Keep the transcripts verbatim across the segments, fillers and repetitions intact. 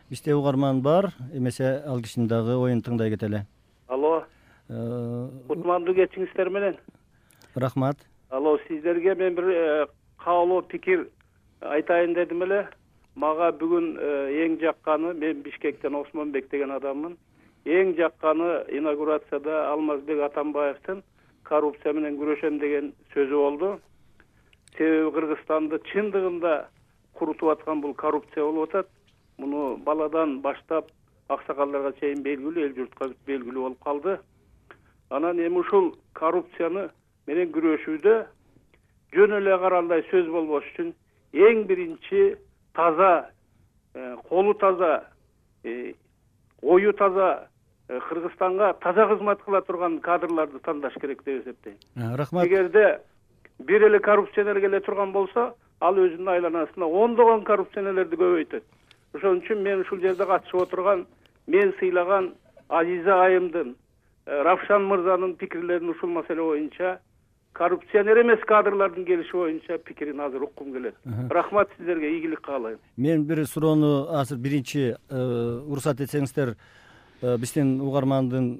Бизде угарман бар эмесе, ал кишинин дагы оюн тыңдай кетели. Алло. Кутмандуу кечиңиздер менен. Рахмат. Алло, сиздерге мен бир каалоо пикир айтайын дедим эле. Мага бүгүн эң жакканы, мен Бишкектен Осмонбек деген адаммын. Эң жакканы инаугурацияда Алмазбек Атамбаевдин коррупция менен күрөшөм деген сөзү болду. Себеби Кыргызстанды чындыгында курутуп аткан бул коррупция болуп атат. Муну баладан баштап аксакалдарга чейин белгилүү, эл журтка белгилүү болуп калды. Анан эми ушул коррупцияны менен күрөшүүдө жөн эле каралдай сөз болбош үчүн эң биринчи таза, колу таза, ою таза, Кыргызстанга таза кызмат кыла турган кадрларды тандаш керек деп эсептейм. Рахмат. Эгерде бир эле коррупционер келе турган болсо, ал өзүнүн айланасында ондогон коррупционерлерди көбөйтөт. Ошон үчүн мен ушул жерде катышып отурган, мен сыйлаган Азиза айымдын, Равшан мырзанын пикирлерин ушул маселе боюнча, коррупционер эмес кадрлардын келиши боюнча пикирин азыр уккум келет. Рахмат сиздерге, ийгилик каалайм. Мен бир суроону азыр биринчи уруксат этсеңиздер, биздин угармандын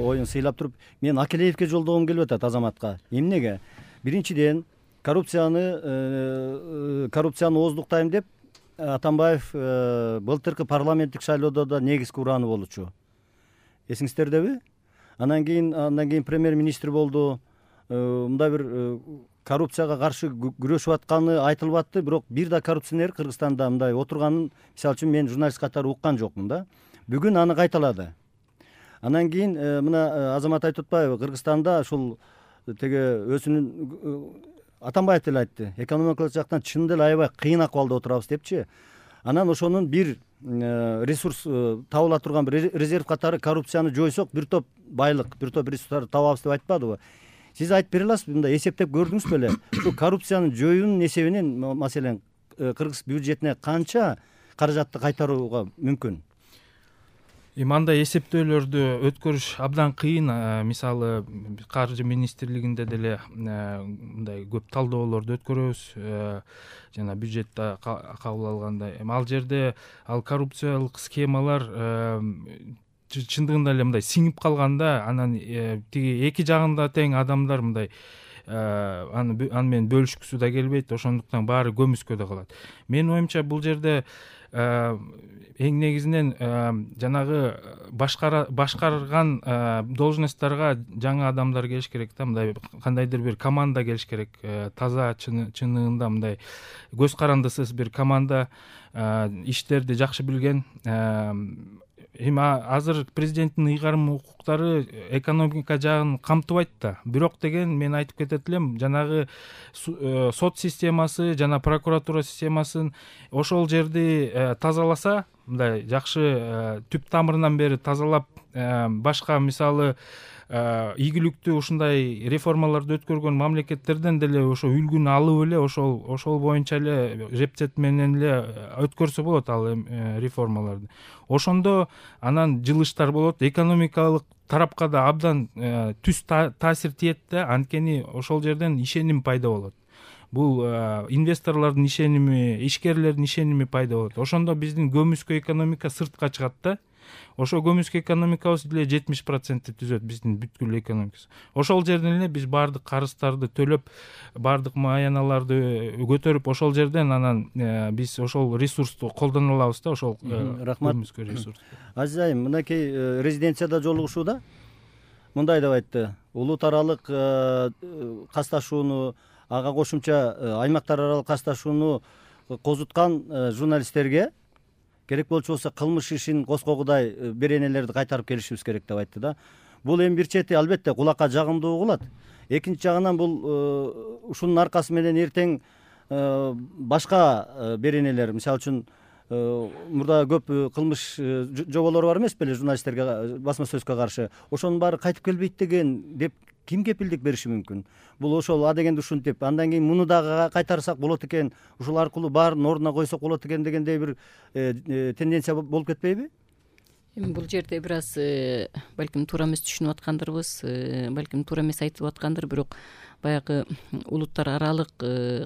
оюн сыйлап туруп, мен Акелеевке жолдогум келип атат, Азаматка. Эмнеге? Биринчиден, коррупцияны коррупцияны ооздуктайм деп Атамбаев былтыркы парламенттик шайлоодо да негизги урааны болчу. Эсиңиздердеби? Анан кийин андан кийин премьер-министр болду. Мындай бир коррупцияга каршы күрөшүп атканы айтылып атты, бирок бир да коррупционер Кыргызстанда мындай отурганын, мисалы үчүн, мен журналист катары уккан жокмун да. Бүгүн аны кайталады. Анан кийин мына Азамат айтып атпайбы, Кыргызстанда ушул теге өзүнүн Атамбаев деле айтты, экономикалык жактан чын деле аябай кыйын акыбалда отурабыз депчи. Анан ошонун бир ресурс табыла турган бир резерв катары коррупцияны жойсок, бир топ байлык, бир топ ресурстарды табабыз деп айтпадыбы? Сиз айтып бере аласызбы, мындай эсептеп көрдүңүз беле? Ушул коррупциянын жоюунун эсебинен, маселен, Кыргыз бюджетине канча каражатты кайтарууга мүмкүн? Эми андай эсептөөлөрдү өткөрүш абдан кыйын. Мисалы, Каржы министрлигинде деле мындай көп талдоолорду өткөрөбүз, жана бюджетте кабыл алганда. Эми ал жерде ал коррупциялык схемалар чындыгында эле мындай сиңип калганда, анан тиги эки жагында тең адамдар мындай аны менен бөлүшкүсү да келбейт, ошондуктан баары көмүскөдө калат. Менин оюмча, бул жерде эң негизинен жанагы башкарган должностторго жаңы адамдар келиш керек да, мындай кандайдыр бир команда келиш керек, таза, чынында мындай көз карандысыз бир команда, иштерди жакшы билген. Эми азыр президенттин ыйгарым укуктары экономика жагын камтыбайт да. Бирок деген мен айтып кетет элем, жанагы сот системасы жана прокуратура системасын ошол жерди тазаласа, мындай жакшы түп тамырынан бери тазалап, башка мисалы ийгиликтүү ушундай реформаларды өткөргөн мамлекеттерден деле ошо үлгүнү алып эле, ошол ошол боюнча эле рецепт менен эле өткөрсө болот ал реформаларды. Ошондо анан жылыштар болот, экономикалык тарапка да абдан түз таасир тиет да, анткени ошол жерден ишеним пайда болот. Бул инвесторлордун ишеними, ишкерлердин ишеними пайда болот. Ошондо биздин көмүскө экономика сыртка чыгат да. Ошо көмүскө экономикабыз деле жетимиш процентти түзөт биздин бүткүл экономикасы. Ошол жерден эле биз баардык карыздарды төлөп, баардык маяналарды көтөрүп, ошол жерден анан биз ошол ресурсту колдоно алабыз да, ошол көмүскө ресурс. Азиз айым, мынакей резиденцияда жолугушууда мындай деп айтты: улут аралык касташууну, ага кошумча аймактар аралык касташууну козуткан журналисттерге керек болчу болсо кылмыш ишин козгогудай беренелерди кайтарып келишибиз керек деп айтты да. Бул эми бир чети албетте кулакка жагымдуу угулат. Экинчи жагынан бул ушунун аркасы менен эртең башка беренелер, мисалы үчүн мурда көп кылмыш жоболор бар эмес беле журналисттерге, басма сөзгө каршы. Ошонун баары кайтып келбейт деген деп ким кепилдик бериши мүмкүн? Бул ошол а дегенди ушинтип, андан кийин муну дагы кайтарсак болот экен, ушул аркылуу баарын ордуна койсок болот экен дегендей бир тенденция болуп кетпейби? Эми бул жерде бир аз балким туура эмес түшүнүп аткандырбыз, балким туура эмес айтылып аткандыр, бирок баягы улуттар аралык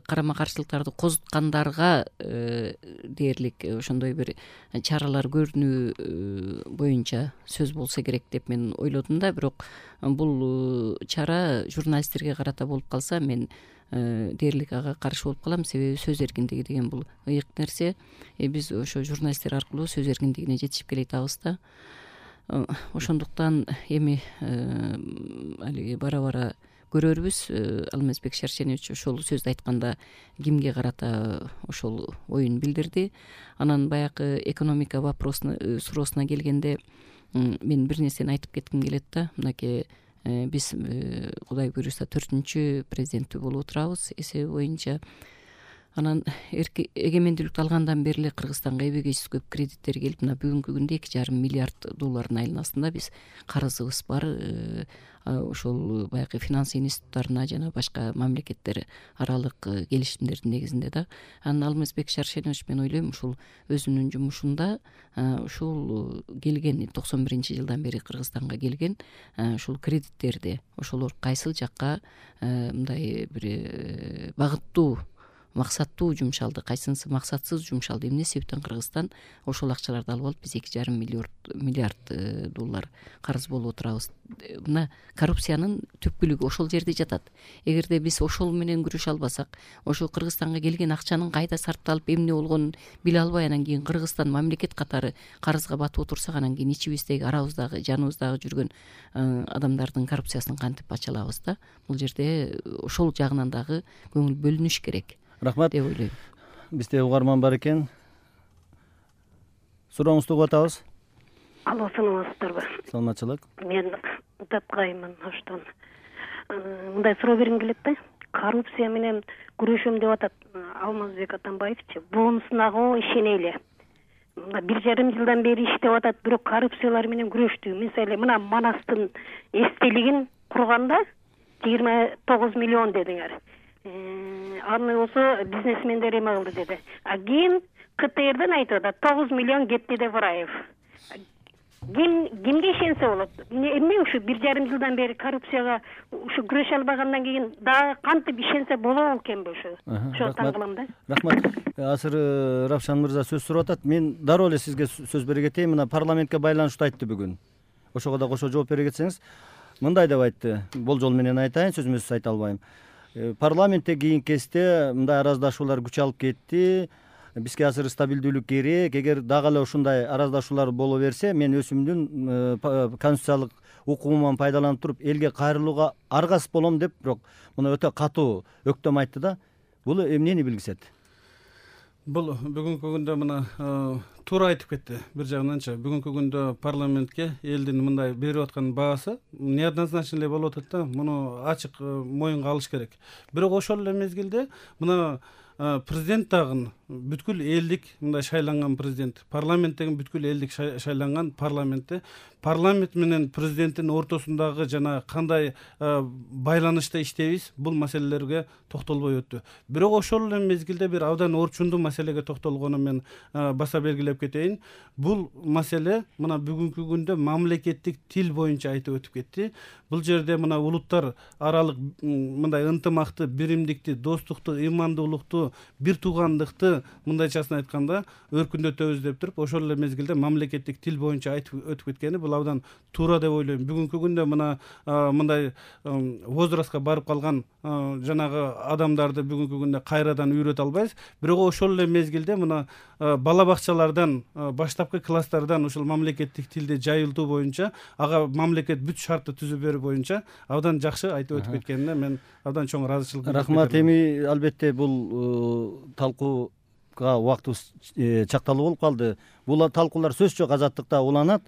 карама каршылыктарды козуткандарга дээрлик ошондой бир чаралар көрүнүү боюнча сөз болсо керек деп мен ойлодум да. Бирок бул чара журналисттерге карата болуп калса мен дээрлик ага каршы болуп калам. Себеби сөз эркиндиги деген бул ыйык нерсе. Биз ошо журналисттер аркылуу сөз эркиндигине жетишип келе атабыз да. Ошондуктан эми алиги бара бара көрөрбүз. Алмазбек Шаршенович ошол сөздү айтканда кимге карата ошол оюн билдирди. Анан баягы экономика вопросуна суроосуна келгенде мен бир нерсени айтып кетким келет да. Мынакей биз Кудай буйруса төртүнчү президенттүү болуп отурабыз эсеби боюнча. Анан эгемендүүлүктү алгандан бери эле Кыргызстанга эбегейсиз көп кредиттер келип, мына бүгүнкү күндө эки жарым миллиард доллардын айланасында биз карызыбыз бар. Ошол баягы финансы институттарына жана башка мамлекеттер аралык келишимдердин негизинде да. Анан Алмазбек Шаршенович мен ойлойм ушул өзүнүн жумушунда ушул келген токсон биринчи жылдан бери Кыргызстанга келген ушул кредиттерди ошолор кайсыл жакка мындай бир багыттуу максаттуу жумшалды, кайсынысы максатсыз жумшалды, эмне себептен Кыргызстан ошол акчаларды алып алып биз эки жарым миллиард доллар карыз болуп отурабыз. Мына коррупциянын түпкүлүгү ошол жерде жатат. Эгерде биз ошол менен күрөшө албасак, ошо Кыргызстанга келген акчанын кайда сарпталып эмне болгонун биле албай, анан кийин Кыргызстан мамлекет катары карызга батып отурсак, анан кийин ичибиздеги, арабыздагы, жаныбыздагы жүргөн адамдардын коррупциясын кантип ача алабыз да. Бул жерде ошол жагынан дагы көңүл бөлүнүш керек. Рахмат деп ойлойм. Бизде угарман бар экен. Сурооңузду угуп атабыз. Алло, саламатсыздарбы? Саламатчылык. Мен Таткаймын оштон. Мындай суроо бергим келет да. Коррупция менен күрөшөм деп атат Алмазбек Атамбаевчи. Буунусуна ишенели. Мына бир жарым жылдан бери иштеп атат, бирок коррупциялар менен күрөштү. Мисалы, мына Манастын эстелигин курганда жыйырма тогуз миллион дедиңер. Аны болсо бизнесмендер эме кылды деди. А кийин КТРден айтып атат тогуз миллион кетти деп Бураев. Ким кимге ишенсе болот? Эмне ушу бир жарым жылдан бери коррупцияга ушу күрөшө албагандан кийин дагы кантип ишенсе болобу экенби ушу? Ошо таң кылам да. Рахмат. Азыр Равшан мырза сөз сурап атат. Мен дароо эле сизге сөз бере кетейин. Мына парламентке байланыштуу айтты бүгүн. Ошого да кошо жооп бере кетсеңиз. Мындай деп айтты. Болжол менен айтайын, сөзүмө сөз айта албайм. Парламентте кийинки кезде мындай араздашуулар күч алып кетти. Бизге азыр стабилдүүлүк керек. Эгер дагы эле ушундай араздашуулар боло берсе, мен өзүмдүн конституциялык укугуман пайдаланып туруп элге кайрылууга аргасыз болом деп, бирок муну өтө катуу өктөм айтты да. Бул эмнени билгисет? Бул бүгүнкү күндө мына туура айтып кетти. Бир жагынанчы бүгүнкү күндө парламентке элдин мындай берип аткан баасы неоднозначно эле болуп атат да. Муну ачык моюнга алыш керек. Бирок ошол эле мезгилде мына президент дагы бүткүл элдик мындай шайланган президент, парламент деген бүткүл элдик шайланган парламентте, парламент менен президенттин ортосундагы жана кандай байланышта иштейбиз, бул маселелерге токтолбой өттү. Бирок ошол эле мезгилде бир абдан орчундуу маселеге токтолгонун мен баса белгилеп кетейин. Бул маселе мына бүгүнкү күндө мамлекеттик тил боюнча айтып өтүп кетти. Бул жерде мына улуттар аралык мындай ынтымакты, биримдикти, достукту, ыймандуулукту, бир туугандыкты мындайчасын айтканда өркүндөтөбүз деп туруп, ошол эле мезгилде мамлекеттик тил боюнча айтып өтүп кеткени бул абдан туура деп ойлойм. Бүгүнкү күндө мына мындай возрастка барып калган жанагы адамдарды бүгүнкү күндө кайрадан үйрөтө албайбыз. Бирок ошол эле мезгилде мына бала бакчалардан, баштапкы класстардан ушул мамлекеттик тилди жайылтуу боюнча, ага мамлекет бүт шартты түзүп берүү боюнча абдан жакшы айтып өтүп кеткенине мен абдан чоң ыраазычылык билдирем. Рахмат. Эми албетте бул талкууга убактыбыз чакталуу болуп калды. Бул талкуулар сөзсүз жок азаттыкта уланат.